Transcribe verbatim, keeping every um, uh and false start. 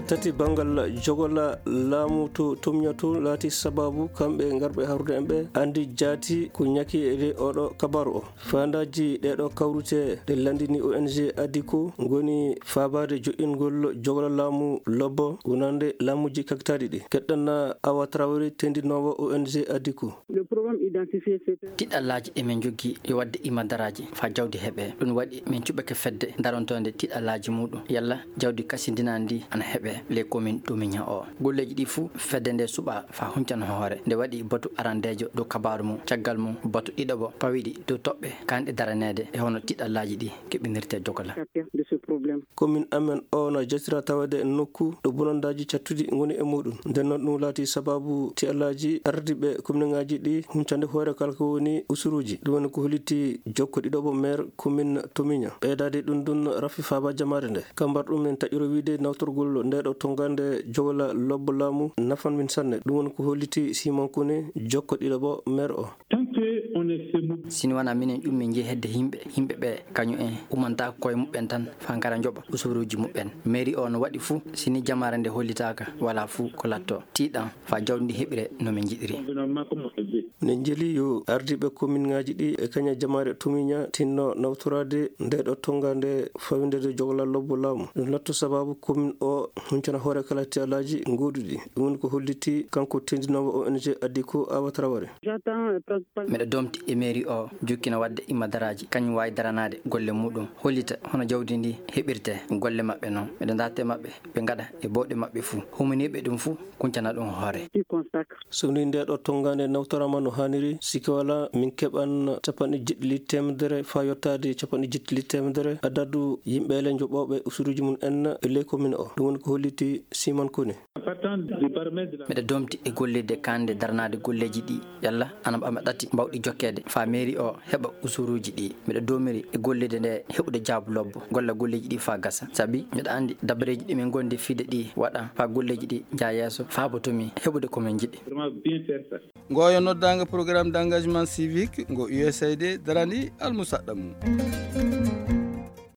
Tati, banngal jogola laamu to Tomña to laati sababu kamɓe ngarɓe haarude en ɓe anndi jaati ko ñaki e oɗo kabaru o. Faandaaji ɗeeɗo kawrite ɗe lanndini O N G Adiko ngoni faabaade joɗɗingol jogola laamu lobbo wonande laamuuji kaktaaɗi ɗi. Keɗɗanna Awa Traoré, tendinoowo O N G Adiko. Le problème identifié, c'est... Tiɗallaaji ɗi min njogii yo waɗde imadaraaji faa jawdi heɓee. Ɗum waɗi min cuɓake fedde darontoonde tiɗallaaji muuɗum yalla jawdi kasindinaandi ndi ana heɓee ley komin Tomña o. Golleeji ɗi fuu fedde nde suɓaa faa huncana hoore. Nde waɗi batu arandeejo dow kabaaru mum, caggal mum batu ɗiɗaɓo pawiɗi dow toɓɓe kaanɗe daraneede e hono tiɗallaaji ɗi keɓinirtee jogola. Komin amen o na jatira tawede e nokku ɗo bonandaaji cattuɗi ngoni e muuɗum. Nden noon ɗum laati sababu tiɗallaaji ardiiɓe kominŋaaji ɗi huncande hoore kala ko woni usuruuji. Ɗum woni ko holliti jokko ɗiɗaɓo meer komin Tomña. Ɓeydaade ɗum ɗum rafi faaba jamaare nde. Kambar ɗum en taƴiro wiide nawtorgol nde ɗo tonngande jogola lobbo laamu nafan min sanne. Ɗum woni ko holliti Simon Kone, jokko ɗiɗaɓo meer o. Tant que on est semo- Si ni wonaa minen ƴummi njehi hedde yimɓe, yimɓe ɓe kañum en umantaako koye muɓɓen tan faa ngara njoɓa usuruuji muɓɓen. Mairie o no waɗi fuu, si ni jamaare nde hollitaaka, walaa fuu ko latto. Tiiɗan faa jawdi ndi heɓire no min njiɗiri. Environnement comme on le veut. Ne njeli yo ardiiɓe kominŋaaji ɗi e kaña jamaare Tomña tinno nawtoraade nde ɗo tonngande fawindede jogola lobbo laamu. Ɗum latto sababu komin o huncana hoore kala tiɗallaaji gooduɗi. Ɗum woni ko holliti kanko tendinoowo O N G Adiko Awa Traoré. J'attends, euh, principal- Miɗo domti e mairie o jokkina waɗde imadaraaji, kañum waawi daranaade golle muuɗum, hollita hono jawdi ndi heɓirtee golle maɓɓe noon. Miɗo ndaarta e maɓɓe, ɓe ngaɗa e bawɗe maɓɓe fuu. Humaniiɓe ɗum fuu, kuncana ɗum hoore. Qui consacre. So ni nde ɗo tonngande nawtoraama no haaniri, sikke walaa min keɓan capanɗe jeeɗiɗi teemedere faa yottaade capanɗe jeeɗiɗi teemedere adadu yimɓe le njoɓooɓe usuruuji mum en e ley komin o. Ɗum woni ko holliti Simon Kone. Partant du baromètre de la- Miɗo domti e gollirde kaanɗe daranaade golleeji ɗi, yalla ana ɓama ɗati mbawɗi jokkeede faa mairie o heɓa usuruuji ɗi. Miɗo domiri e gollirde nde heɓude jaabu lobbo, golla golleeji ɗi faa gasa. Sabi miɗo anndi dabareeji ɗi min ngondi fiide ɗi waɗa faa golleeji ɗi njaha yeeso, faa bo to min heɓude ko min njiɗi. Vraiment bien faire ça. Ngoyo noddaango Programme d'engagement civique ngo U S A I D darani almusaɗɗa mum.